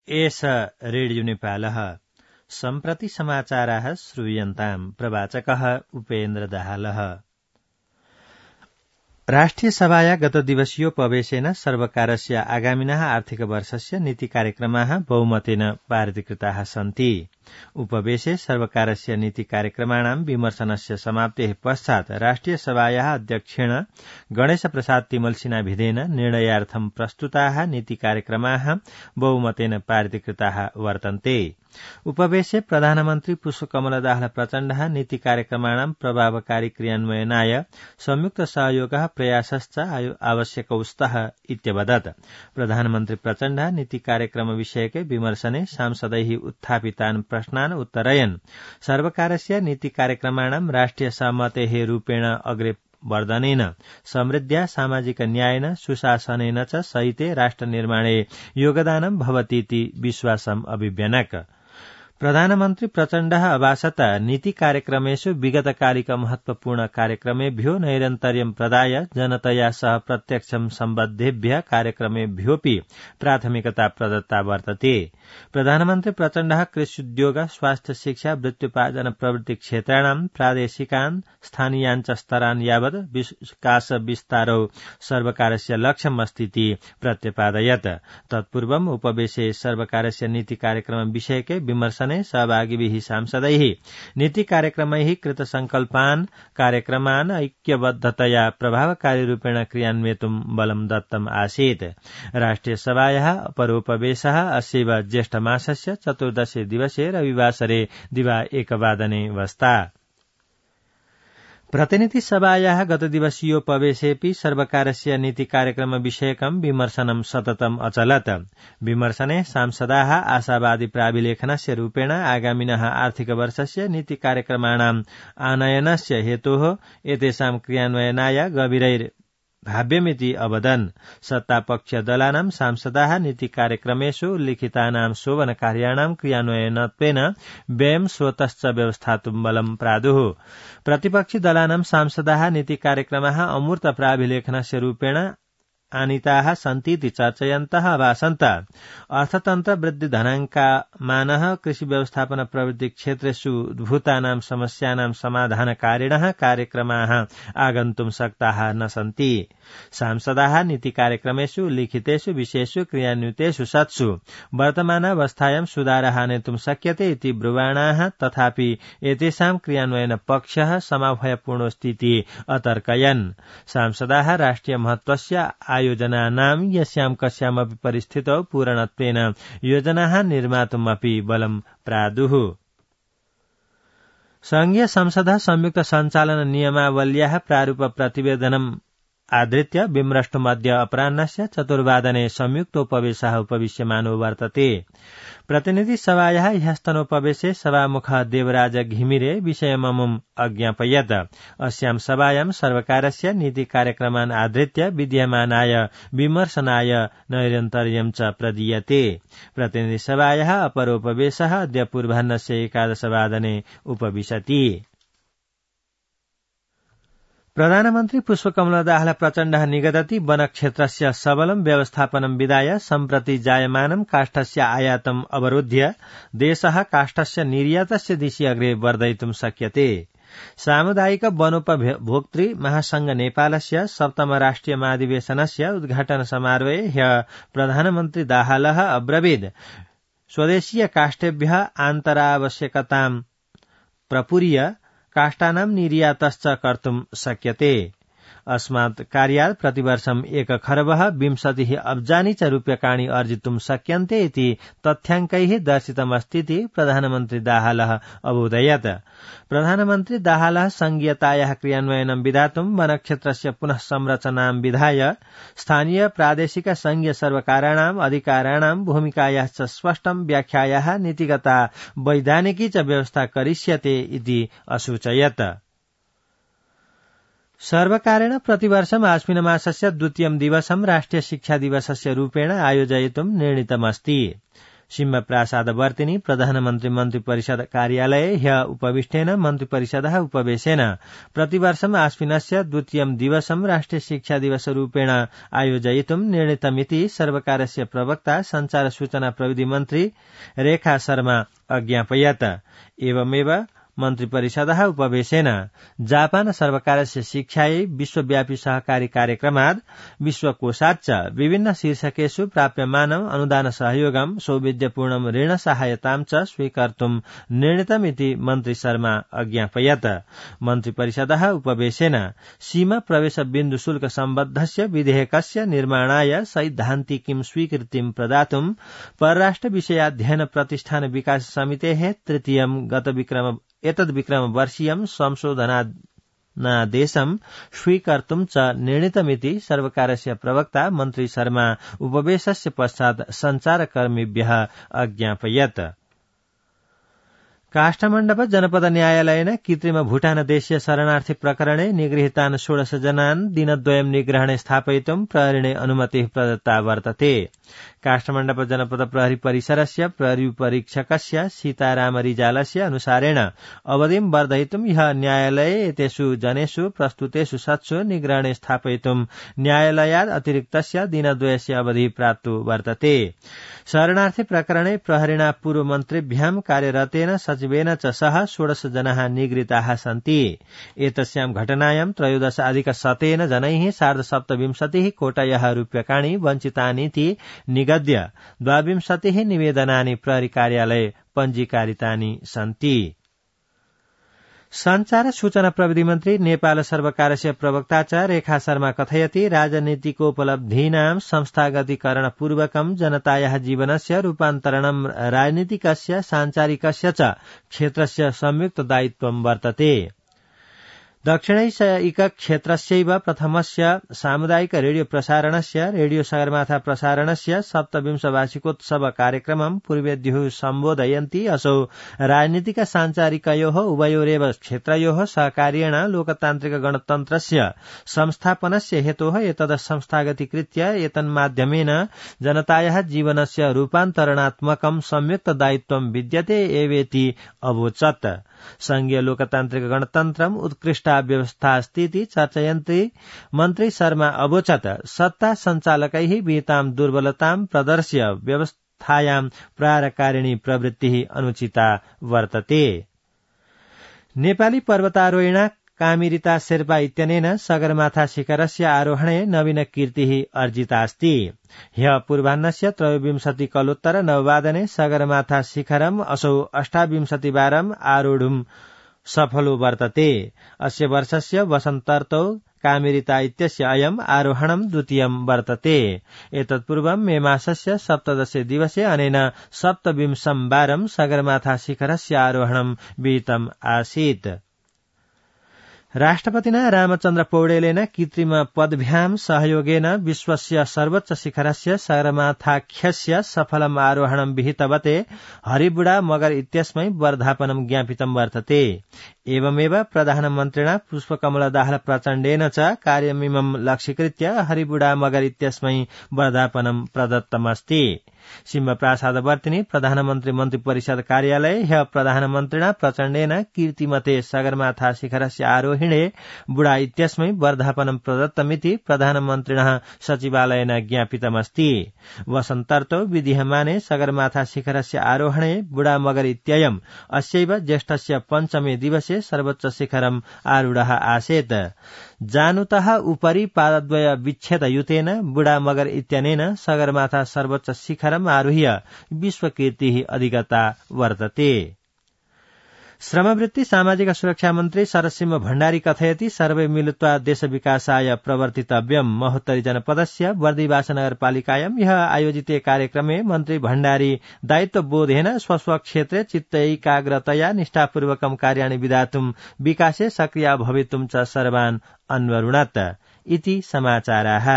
एष रेडियो नेपालः सम्प्रति समाचाराः श्रूयन्ताम् प्रवाचकः उपेन्द्र दाहालः। राष्ट्रिय सभाया गतदिवसीयोपवेशेन सर्वकारस्य आगामिनः आर्थिक वर्षस्य नीति कार्यक्रमाः बहुमतेन पारितीकृताः सन्ति। उपवेशे सर्वकारस्य नीति कार्यक्रमाणां विमर्शनस्य समाप्तेः पश्चात् राष्ट्रिय सभायाः अध्यक्षेण गणेश प्रसाद तिमल सिन्हाभिधेन निर्णयार्थं प्रस्तुताः नीति कार्यक्रमाः बहुमतेन पारितीकृताः वर्तन्ते। उपवेशे प्रधानमन्त्री पुष्पकमल दाहाल प्रचण्डः नीति कार्यक्रमाणां प्रभावकारी क्रियान्वयनाय संयुक्त सहयोगः प्रयासश्च आवश्यकौ स्तः इत्यवदत्। प्रधानमन्त्री प्रचण्डः नीति कार्यक्रम विषयके विमर्शने सांसदैः उत्थापितान् प्रश्नान् उत्तरयन् सर्वकारस्य नीति कार्यक्रमाणां राष्ट्रिय सहमतेः रूपेण अग्रे वर्धनेन समृद्ध्या सामाजिक न्यायेन सुशासनेन च सहिते राष्ट्र निर्माणे योगदानं भवतीति विश्वासम् अभिव्यनक। प्रधानमन्त्री प्रचण्डः अभाषत नीति कार्यक्रमेषु विगतकालिक महत्वपूर्ण कार्यक्रमेभ्यो नैरन्तर्यं प्रदाय जनतया सह प्रत्यक्षं सम्बद्धेभ्यः कार्यक्रमेभ्योऽपि प्राथमिकता प्रदत्ता वर्तते। प्रधानमन्त्री प्रचण्डः कृष्युद्योग स्वास्थ्य शिक्षा वृत्त्युपार्जन प्रवृत्ति क्षेत्राणां प्रादेशिकान् स्थानीयाञ्च स्तरान् यावत् विकास विस्तारौ सर्वकारस्य लक्ष्यमस्तीति प्रत्यपादयत्। तत्पूर्वम् उपवेशे सर्वकारस्य नीति कार्यक्रम विषयके विमर्शने सहभागिभिः सांसदैः नीति कार्यक्रमैः कृत संकल्पान् कार्यक्रमान् ऐक्यबद्धतया प्रभावकारी रूपेण क्रियान्वयितुं बलं दत्तम् आसीत्। राष्ट्रिय सभायाः अपरोपवेशः अस्यैव ज्येष्ठ मासस्य 14 दिवसे रविवासरे दिवा 1 वादने वस्ता। प्रतिनिधि सभायाः गतदिवसीयोपवेशेऽपि सर्वकारस्य नीति कार्यक्रम विषयकं विमर्शनं सततम् अचलत्। विमर्शने सांसदाः आशावादी प्राभिलेखनस्य रूपेण आगामिनः आर्थिक वर्षस्य नीति कार्यक्रमाणाम् आनयनस्य हेतोः एतेषां क्रियान्वयनाय गभीरैर्भाव्यमिति अवदन्। सत्तापक्ष दलानां सांसदाः नीति कार्यक्रमेषु उल्लिखितानां शोभनकार्याणां क्रियान्वयनत्वेन व्ययं स्वतश्च व्यवस्थातुं बलं प्रादुः। प्रतिपक्षी दलानां सांसदाः नीति कार्यक्रमाः अमूर्त प्राभिलेखनस्य रूपेण आनीताः सन्तीति चर्चयन्तः अभासन्त। अर्थतन्त्र वृद्धि धनाङ्कमानः कृषि व्यवस्थापन प्रवृत्ति क्षेत्रेषु उद्भूतानां समस्यानां समाधानकारिणः कार्यक्रमाः आगन्तुं शक्ताः न सन्ति। सांसदाः नीति कार्यक्रमेषु उल्लिखितेषु विषयेषु क्रियान्वितेषु सत्सु वर्तमानावस्थायां सुधारः आनेतुं शक्यते इति ब्रुवाणाः, तथापि एतेषां क्रियान्वयन पक्षः समभयपूर्णोऽस्तीति अतर्कयन्। सांसदाः राष्ट्रिय महत्वस्य आयोजनानां यस्यां कस्यामपि परिस्थितौ पूरणत्वेन योजनाः निर्मातुमपि बलं प्रादुः। संघीय संसदः संयुक्त सञ्चालन नियमावल्याः प्रारूप प्रतिवेदनम् आधृत्य बिम्रष्टुमध्य अपराह्नस्य 4 वादने संयुक्तोपवेशः उपविश्यमानो वर्तते। प्रतिनिधि सभायाः ह्यस्तनोपवेशे सभामुखः देवराज घिमिरे विषयममुम् अज्ञापयत्। अस्यां सभायां सर्वकारस्य नीति कार्यक्रमान् आधृत्य विद्यमानाय विमर्शनाय नैरन्तर्यं च प्रदीयते। प्रतिनिधि सभायाः अपरोपवेशः अद्य पूर्वाह्नस्य 11 वादने उपविशति। प्रधानमन्त्री पुष्पकमल दाहाल प्रचण्डः निगदति वनक्षेत्रस्य सबलं व्यवस्थापनं विधाय सम्प्रति जायमानं काष्ठस्य आयातम् अवरुध्य देशः काष्ठस्य निर्यातस्य दिशि अग्रे वर्धयितुं शक्यते। सामुदायिक वनोपभोक्तृ महासंघ नेपालस्य 7म राष्ट्रिय महाधिवेशनस्य उद्घाटन समारोहे ह्यः प्रधानमन्त्री दाहालः अब्रवीत् स्वदेशीय काष्ठेभ्यः आन्तरावश्यकतां प्रपूर्य काष्ठानां निर्यातश्च कर्तुं शक्यते। अस्मात् कार्यात् प्रतिवर्षम् 1 खर्बः 20 अब्जानि च रूप्यकाणि अर्जितुं शक्यन्ते इति तथ्याङ्कैः दर्शितमस्तीति प्रधानमन्त्री दाहालः अबोधयत्। प्रधानमन्त्री दाहालः संघीयतायाः क्रियान्वयनं विधातुं वनक्षेत्रस्य पुनः संरचनां विधाय स्थानीय प्रादेशिक संघीय सर्वकाराणाम् अधिकाराणां भूमिकायाश्च स्पष्टं व्याख्यायाः नीतिगता वैधानिकी च व्यवस्था करिष्यते इति असूचयत्। सर्वकारेण प्रतिवर्षम् आश्विन मासस्य 2 दिवसं राष्ट्रिय शिक्षा दिवसस्य रूपेण आयोजयितुं निर्णीतमस्ति। सिंह प्रासादवर्तिनी प्रधानमन्त्री मन्त्री परिषद कार्यालये ह्य उपविष्टेन मन्त्री परिषदः उपवेशेन प्रतिवर्षम् आश्विनस्य द्वितीयं दिवसं राष्ट्रिय शिक्षा दिवसरूपेण आयोजयितुं निर्णीतमिति सर्वकारस्य प्रवक्ता संचार सूचना प्रविधि मन्त्री रेखा शर्मा अज्ञापयत्। एवमेव मन्त्री परिषदः उपवेशेन जापान सर्वकारस्य शिक्षायै विश्वव्यापी सहकारी कार्यक्रमात् विश्वकोषाच्च विभिन्न शीर्षकेषु प्राप्यमानम् अनुदान सहयोगं सौविध्यपूर्णं ऋण सहायतां च स्वीकर्तुं निर्णीतमिति मन्त्री शर्मा अज्ञापयत्। मन्त्री परिषदः उपवेशेन सीमा प्रवेश बिन्दु शुल्क सम्बद्धस्य विधेयकस्य निर्माणाय सैद्धान्तिकीं स्वीकृतिं प्रदातुं परराष्ट्र विषयाध्ययन प्रतिष्ठान विकास समितेः तृतीयं एतद्विक्रमवर्षीयं संशोधनादेशं स्वीकर्तुं च निर्णीतमिति सर्वकारस्य प्रवक्ता मन्त्री शर्मा उपवेशस्य पश्चात् सञ्चारकर्मिभ्यः अज्ञापयत्। काष्ठमण्डप जनपद न्यायालयेन कृत्रिम भूटान देशीय शरणार्थी प्रकरणे निगृहीतान् 16 जनान् दिनद्वयं निग्रहणे स्थापयितुं प्रहरिणे अनुमतिः प्रदत्ता वर्तते। काष्ठमण्डप जनपद प्रहरी परिसरस्य प्रहरी परीक्षकस्य सीताराम रिजालस्य अनुसारेण अवधिं वर्धयितुं ह्यः न्यायालये एतेषु जनेषु प्रस्तुतेषु सत्सु निग्रहणे स्थापयितुं न्यायालयात् अतिरिक्तस्य दिनद्वयस्य अवधिः प्राप्तो वर्तते। शरणार्थी प्रकरणे प्रहरिणा पूर्वमन्त्रिभ्यां कार्यरतेन सचिवेन च सह 16 जनाः निगृहीताः सन्ति। एतस्यां घटनायां 13+100 जनैः 27.5 कोटयः रूप्यकाणि वञ्चितानीति निगद्य 22 निवेदनानि प्रहरी कार्यालये पञ्जीकारितानि सन्ति। संचार सूचना प्रविधि मन्त्री नेपाल सर्वकारस्य प्रवक्ता च रेखा शर्मा कथयति राजनीतिकोपलब्धीनां संस्थागतीकरणपूर्वकं जनतायाः जीवनस्य रूपान्तरणं राजनीतिकस्य सांचारिकस्य च क्षेत्रस्य संयुक्त दायित्वं वर्तते। दक्षिणैशिक क्षेत्रस्यैव प्रथमस्य सामुदायिक रेडियो प्रसारणस्य रेडियो सगरमाथा प्रसारणस्य 27 वार्षिकोत्सव कार्यक्रमं पूर्वेद्युः सम्बोधयन्ती असौ राजनीतिक सांचारिकयोः उभयोरेव क्षेत्रयोः सहकार्येण लोकतान्त्रिक गणतन्त्रस्य संस्थापनस्य हेतोः एतद् संस्थागतीकृत्य एतन्माध्यमेन जनतायाः जीवनस्य रूपान्तरणात्मकं संयुक्त दायित्वं विद्यते एवेति अवोचत्। संघीय लोकतान्त्रिक गणतन्त्रम् उत्कृष्टा व्यवस्था अस्तीति चर्चयन्ती मन्त्री शर्मा अवोचत् सत्ता सञ्चालकैः विहितां दुर्बलतां प्रदर्श्य व्यवस्थायां प्रारकारिणी प्रवृत्तिः अनुचिता वर्तते। नेपाली पर्वतारोहिणा कामिरिता शेर्पा इत्यनेन सगरमाथा शिखरस्य आरोहणे नवीन कीर्तिः अर्जितास्ति। ह्यः पूर्वाह्नस्य 23 कलोत्तर 9 वादने सगरमाथा शिखरम् असौ 28 वारम् आरोढुम् सफलो वर्तते। अस्य वर्षस्य वसन्तर्तौ कामिरिता इत्यस्य अयम् आरोहणम् द्वितीयम् वर्तते। एतत्पूर्वम् मे मासस्य 17 दिवसे अनेन 27 वारम् सगरमाथा शिखरस्य आरोहणम् विहितम् आसीत्। राष्ट्रपतिना रामचन्द्र पौडेलेन कृत्रिम पदभ्यां सहयोगेन विश्वस्य सर्वोच्च शिखरस्य सगरमाथाख्यस्य सफलम् आरोहणं विहितवते हरिबुढा मगर इत्यस्मै वर्धापनं ज्ञापितं वर्तते। एवमेव प्रधानमन्त्रिणा पुष्पकमलदाहाल प्रचण्डेन च कार्यमिमं लक्ष्यीकृत्य हरिबुढा मगर इत्यस्मै वर्धापनं प्रदत्तमस्ति। सिंह प्रासादवर्तिनी प्रधानमन्त्री मन्त्री परिषद कार्यालये ह्यः प्रधानमन्त्रिणा प्रचण्डेन कीर्तिमते सगरमाथा शिखरस्य आरोहिणे बुढा इत्यस्मै वर्धापनं प्रदत्तमिति प्रधानमन्त्रिणः सचिवालयेन ज्ञापितमस्ति। वसन्तर्तौ विधीयमाने सगरमाथा शिखरस्य आरोहणे बुढा मगर इत्ययम् अस्यैव ज्येष्ठस्य 5मे दिवसे सर्वोच्च शिखरम् आरूढः आसीत्। जानुतः उपरि पादद्वय विच्छेदयुतेन बुढा मगर इत्यनेन सगरमाथा सर्वोच्च शिखरम् आरुह्य विश्वकीर्तिः अधिगता वर्तते। श्रमवृत्ति सामाजिक सुरक्षा मन्त्री शरदसिंह भण्डारी कथयति सर्वे मिलित्वा देश विकासाय प्रवर्तितव्यम्। महोत्तरी जनपदस्य बर्दिवास नगरपालिकायां ह्यः आयोजिते कार्यक्रमे मन्त्री भण्डारी दायित्वबोधेन स्वस्वक्षेत्रे चित्तैकाग्रतया निष्ठापूर्वकं कार्याणि विधातुं विकासे सक्रिया भवितुं च सर्वान् अन्वरुणत् इति समाचाराः।